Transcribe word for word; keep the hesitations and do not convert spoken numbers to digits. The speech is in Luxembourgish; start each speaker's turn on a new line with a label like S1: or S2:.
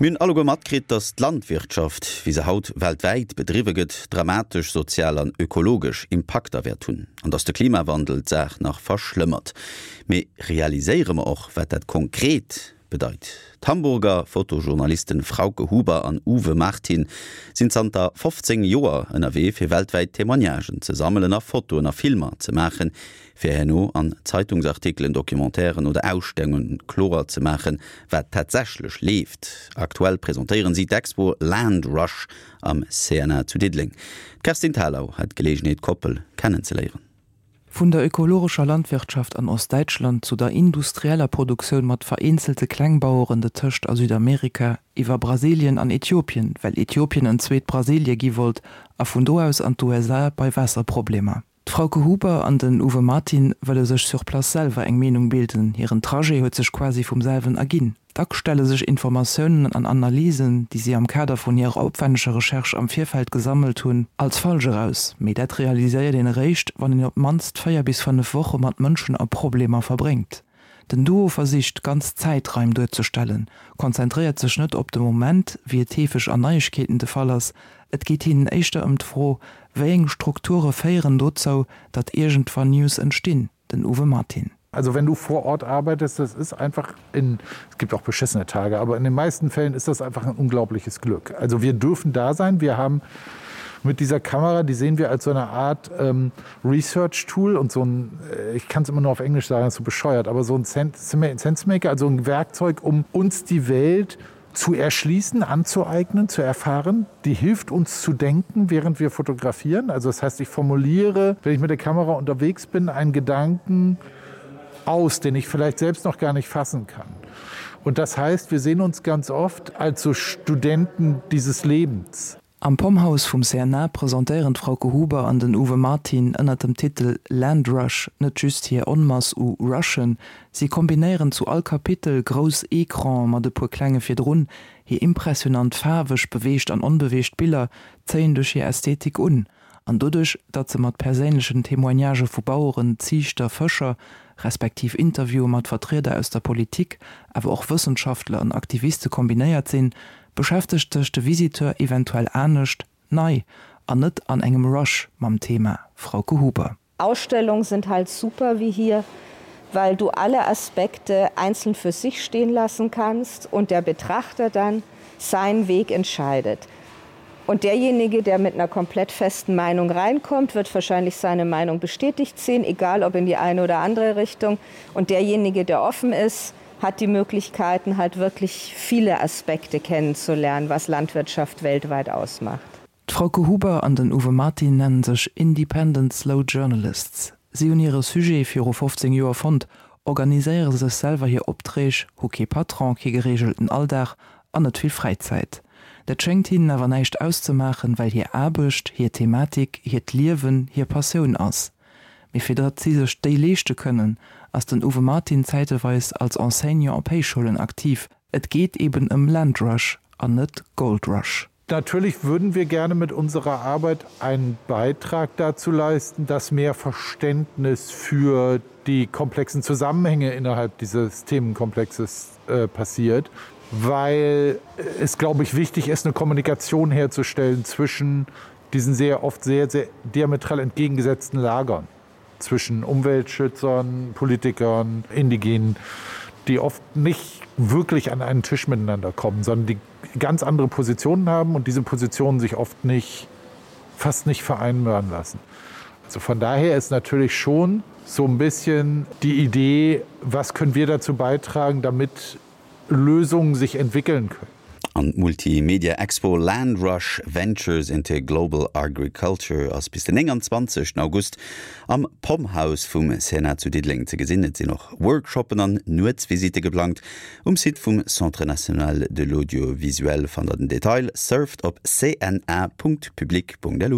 S1: Mir hunn alleguer matkritt, datt d'Landwirtschaft, wéi se haut weltwäit bedriwwe gëtt, dramatesch sozial an ökologesch Impakter wäert hunn an datt de Klimawandel d'Saach nach verschlëmmert. Mee realiséiere mer och, wat dat konkret bedeit? D'Hamburger Fotojournalisten Frauke Huber an Uwe Martin sinn zanter fofzéng Joer ënnerwee fir weltwäit Témoignagen ze sammelen a Fotoen a Filmer ze maachen, fir herno an Zeitungsartikelen, Documentairen oder Ausstellunge kloer ze maachen, wat tatsächlech leeft. Aktuell presentéieren si d'Expo Land Rush am C N A zu Diddeleng. D'Kerstin Thalau hat d'Geleegenheet d'Koppel kennenzeléieren.
S2: Vun der ökologescher Landwirtschaft an Ostdäitschland zu der industrieller Produktioun mat vereenzelte Klengbaueren dotëscht a Südamerika, iwwer Brasilien an Äthiopien, well Äthiopien en zweet Brasilie gi wollt, a vun do aus an d'U S A bei Waasserproblemer. D'Frauke Huber an den Uwe Martin wëlle sech sur place selwer eng Meenung bilden, hiren Trajet huet sech quasi vum selwen erginn. Dack stelle sech Informatiounen an Analysen, déi si am Kader vun hirer opwänneger Recherche am Virfeld gesammelt hunn, als falsch eraus, mee dat realiséiert een eréischt, wann een op d'mannst véier bis fënnef Woche mat Mënschen a Problemer verbréngt. Den Duo versicht, ganz Zäitraim duerzestellen, konzentréiert sech net op de Moment, wéi et heefeg an Neiegkeeten de Fall ass, et geet hinnen éischter ëm d'Fro, wéi eng Strukture féieren dozou, datt iergendwann News entstinn, den Uwe Martin.
S3: Also wenn du vor Ort arbeitest, das ist einfach in, es gibt auch beschissene Tage, aber in den meisten Fällen ist das einfach ein unglaubliches Glück. Also wir dürfen da sein, wir haben mit dieser Kamera, die sehen wir als so eine Art ähm, Research Tool und so ein, äh, ich kann es immer nur auf Englisch sagen, ist so bescheuert, aber so ein Sensemaker, also ein Werkzeug, um uns die Welt zu erschließen, anzueignen, zu erfahren. Die hilft uns zu denken, während wir fotografieren. Also das heißt, ich formuliere, wenn ich mit der Kamera unterwegs bin, einen Gedanken aus, den ich vielleicht selbst noch gar nicht fassen kann. Und das heißt, wir sehen uns ganz oft als so Studenten dieses Lebens.
S2: Am Pomhouse vum C N A presentéieren d'Frauke Huber an den Uwe Martin ënner dem Titel Land Rush net just hir Onmass u Rushen, si kombinéieren zu all Kapitel grouss Ecrane mat e puer klenge virdrun, hir impressionant faarweg beweegt an onbeweegt Biller zéien duerch hir Ästhetik un, an doduerch, datt se mat perséinlechen Témoignagë vu Baueren, Ziichter, Fëscher, respektiv Interviewe mat Vertrieder aus der Politik, awer och Wëssenschaftler an Aktiviste kombinéiert sinn, beschäftegt sech de Visiteur eventuell anescht, nei an net an engem Rush mam Thema. Frauke Huber.
S4: Ausstellungen sind halt super wie hier, weil du alle Aspekte einzeln für sich stehen lassen kannst und der Betrachter dann seinen Weg entscheidet. Und derjenige, der mit einer komplett festen Meinung reinkommt, wird wahrscheinlich seine Meinung bestätigt sehen, egal ob in die eine oder andere Richtung. Und derjenige, der offen ist, hat die Möglichkeiten, halt wirklich viele Aspekte kennenzulernen, was Landwirtschaft weltweit ausmacht.
S2: D'Frauke Huber an den Uwe Martin nennen sech Independent Slow Journalists. Si hunn hire Sujet viru fofzéng Joer fonnt, organiséiere sech selwer hir Opträg, hu kee Patron, kee gereegelten Alldag an net vill Fräizäit. Dat schéngt hinnen awer näischt auszemaachen, well hir Aarbecht, hir Thematik, hiert Liewen, hir Passioun ass. Mee fir datt si sech déi leeschte kënnen, ass den Uwe Martin zäiteweis als Enseignant op Héichschoulen aktiv. Et geet eben ëm Land Rush an net Gold Rush.
S3: Natürlich würden wir gerne mit unserer Arbeit einen Beitrag dazu leisten, dass mehr Verständnis für die komplexen Zusammenhänge innerhalb dieses Themenkomplexes äh, passiert, weil es, glaube ich, wichtig ist, eine Kommunikation herzustellen zwischen diesen sehr oft sehr, sehr diametral entgegengesetzten Lagern, zwischen Umweltschützern, Politikern, Indigenen, die oft nicht wirklich an einen Tisch miteinander kommen, sondern die ganz andere Positionen haben und diese Positionen sich oft nicht, fast nicht vereinbaren lassen. Also von daher ist natürlich schon so ein bisschen die Idee, was können wir dazu beitragen, damit Lösungen sich entwickeln können.
S1: An d'Multimedia Expo Land Rush Ventures into Global Agriculture ass bis den nénganzwanzegsten August am Pomhouse vum C N A zu Diddeleng ze gesinn. Et sinn och Workshoppen an Nuetsvisitte geplangt. Um Site vum Centre national de l'audiovisuel fannt der den Detail. Surft op c n a Punkt public Punkt l u.